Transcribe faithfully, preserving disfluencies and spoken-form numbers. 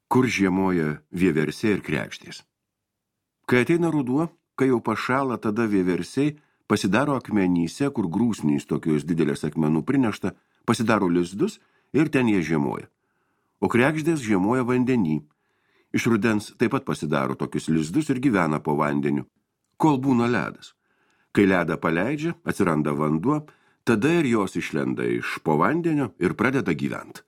Kur žiemoja vieversiai ir kregždės. Kai ateina ruduo, kai jau pašąla, tada vieversiai pasidaro akmenyse, kur grūsnys tokios didelės akmenų prinešta, pasidaro lizdus ir ten jie žiemoja. O kregždės žiemoja vandenį. Iš rudens taip pat pasidaro tokius lizdus ir gyvena po vandeniu, kol būna ledas. Kai ledą paleidžia, atsiranda vanduo, tada ir jos išlenda iš po vandenio ir pradeda gyventi.